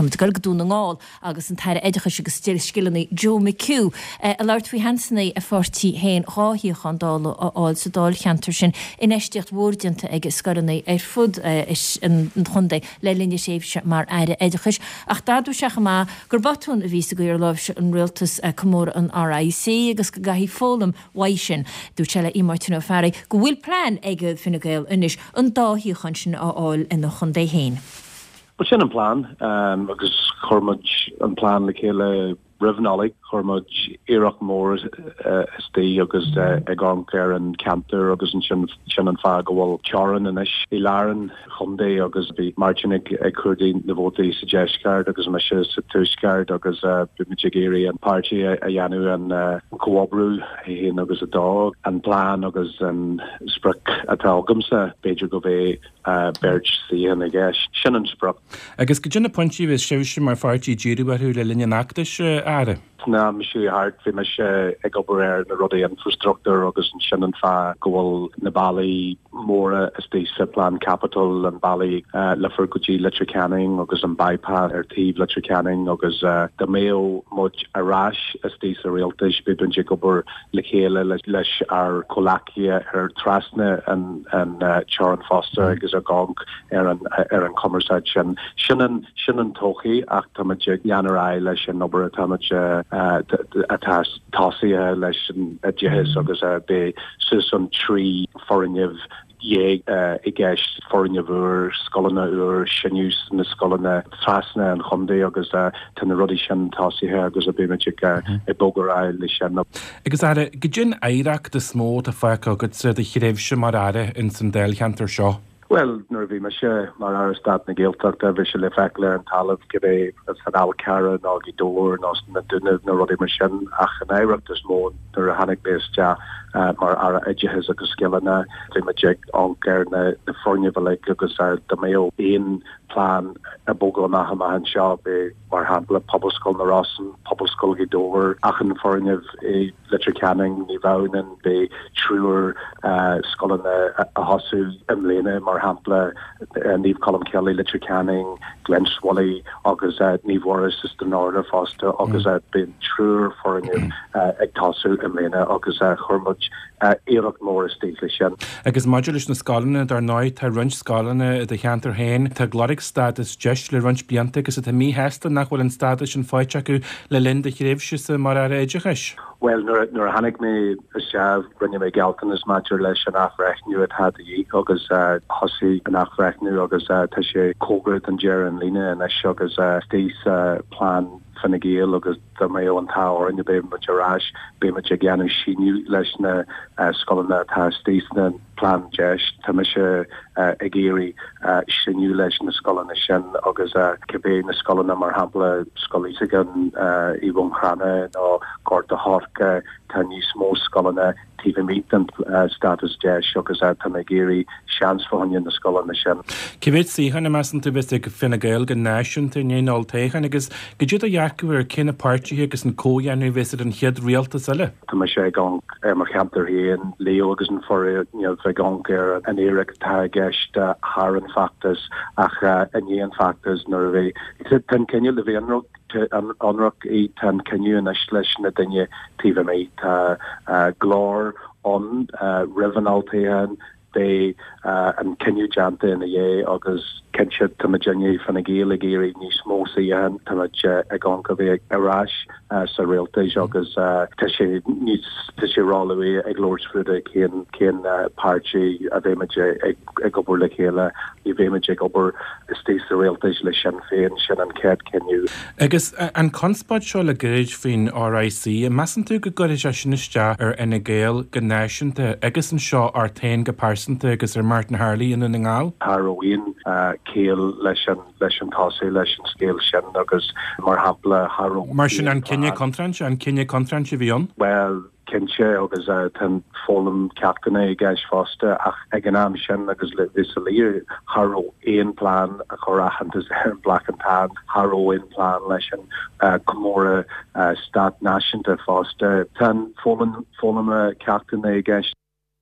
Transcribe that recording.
Tá muid ag dul go Dún na nGall agus an tAire Oideachais agus Scileanna Joe McHugh ag labhairt faoi sheansanna a pháirtí féin 2 shuíochán Dála a fháil sa dáilcheantar sin. Infheistíocht mhór déanta aige i scoileanna ar fud an chontae le linn a thréimhse mar Aire Oideachais ach d'admhaigh sé chomh maith gur botún a bhí sa gcaoi ar láimhseáil an rialtas comóradh an RIC agus go gcaithfí foghlaim uaidh sin. Dúirt sé le Máirtín Ó Fearraigh go bhfuil plean ag Fine Gael anois an dá shuíochán sin a fháil ina chontae féin. Bhuel sin an plean agus chuir muid an plean le chéile roimh Nollaig. Chuir muid iarracht mór istigh agus ag amharc ar an cheantar agus ansin sin an fáth go bhfuil teorainn anois i lár an chontae agus bhí Máirtín ag ag cuardaigh na vótaí sa deisceart agus mise sa tuaisceart agus bhí muid ag iarraidh an páirtí a dhéanamh an comhoibriú 1 agus 2. An plean agus an sprioc atá agamsa b'fhéidir go mbeidh beirt suíochán i gceist. Sin an sprioc. Agus goidé na pointí a bheas sibhse mar pháirtí ag díriú orthu le linn an fheachtais, a Aire? San am seo thart bhí mise ag obair ar na rudaí infrastruchtúr agus sin an fáth go bhfuil na bealaí móra istigh sa plean caipitil, an bealaí Leifear go dtí Leitir Ceanainn agus an bypass ar taobh Leitir Ceanainn agus dá mbeadh muid ar ais istigh sa rialtas beidh muid ag obair le chéile leis ár comhleacaithe ar trasna an teorann fosta agus ag amharc ar an ar an chumarsáid sin. Sin an sin an todhchaí ach táimid ag lean ar aghaidh leis an obair atáimid atá tosaithe leis an oideachas agus beidh suas an 13 foirgneamh i gceist, foirgneamh úr, scoileanna úr, síneadh sna scoileanna trasna an chontae agus tá na rudaí sin tosaithe agus beimid ag ag bogadh ar aghaidh leis sin. Agus Aire, goidé an oidhreacht is mó atá fágtha agatsa i do thréimhse mar Aire ins an Dáilcheantar seo? Bhuel, nuair a bhí mise mar Aire Stáit na Gaeltachta, bhí sé le feiceáil ar an talamh, cibé san Fhál Carrach nó Gaoth Dobhair nó sna Dúnaibh nó rudaí mar sin, ach an oidhreacht is mó nuair a tháinig mé isteach mar Aire Oideachais agus Scileanna, bhí muid ag amharc ar na foirgnimh uilig agus dá mbeadh aon plean ag bogadh amach amach anseo, bheadh, mar shampla, Pobalscoil na Rosann, Pobalscoil Ghaoth Dobhair, achan foirgneamh i. Leitir Ceanainn, Naomh Adhamhnáin, beidh triúr scoileanna a thosú i mbliana, mar shampla, Naomh Colmcille i Leitir Ceanainn, Glenswilly agus Naomh Mhuire sa Stranorlar fosta agus beidh triúr foirgneamh ag tosú i mbliana agus chuir muid iarracht mór istigh leis sin. Agus maidir leis na scoileanna, dar ndóigh, tá roinnt scoileanna i do cheantar féin atá ag lorg stádas deis le roinnt blianta agus atá míshásta nach bhfuil an stádas sin faighte acu le linn do thréimhse-sa mar Aire Oideachais? Bhuel, nuair a tháinig mé isteach, rinne mé gealltanas maidir leis an athbhreithniú atá de dhíth agus thosaigh an athbhreithniú agus tá sé cóngarach don deireadh an líne anois agus istigh sa plean Fine Gael agus dá mbeadh an t-ádh orainn beidh muid ar ais, beidh muid ag déanamh síneadh leis na scoileanna atá istigh sna plean deis. Tá mise ag iarraidh síneadh leis na scoileanna sin agus cibé na scoileanna, mar shampla Scoil Íosagáin i mBun Cranncha nó Gort a' Choirce, tá níos mó scoileanna taobh amuigh den stádas deis agus tá mé ag iarraidh seans fá choinne na scoileanna sin. Cé mhéad suíochán a measann tú a bheas ag Fine Gael go náisiúnta i ndiaidh an olltoghcháin agus goidé do dhearcadh ar cé na páirtithe agus an comhdhéanamh a bheas ar an chéad rialtas eile? Tá mise ag amharc ar mo cheantar féin, Leo agus an foirgneamh, ag amharc ar an iarracht atá i gceist thar an feachtas ach i ndiaidh an feachtas nuair a bheidh, tá an cinneadh le bheith ionraic, tá an cinneadh anois leis na daoine taobh amuigh. Tá glór ann roimh an olltoghchán, Beidh an cinneadh déanta ina dhiaidh agus cinnte tá muidinne, Fine Gael, ag iarraidh níos mó suíochán, tá muid ag amharc a bheith ar ais sa rialtas agus tá sé níos, tá sé róluath ag labhairt fúthu cén, cén páirtí a bheidh muid ag obair le chéile. Ní bheidh muid ag obair istigh sa rialtas le Sinn Féin, sin an chéad cinneadh. Agus an conspóid seo le gairid faoin RIC, an measann tú go gcuirfidh sé sin isteach ar Fhine Gael go náisiúnta agus anseo ort féin go pearsanta agus ar Martin Harley i nDún na nGall? Cha raibh aon chiall leis an leis an tosú leis an scéal sin agus mar shampla cha raibh Mar sin an cinneadh contráilte, an cinneadh contráilte a bhí ann? Bhuel, cinnte, agus tá an foghlaim ceachtanna i gceist fosta, ach ag an am sin agus le bheith soiléir, cha raibh aon plean a chur aitheantas ar an Black and Tan, cha raibh aon plean leis an comóradh stát náisiúnta fosta. Tá an foghlaim ceachtanna i gceist.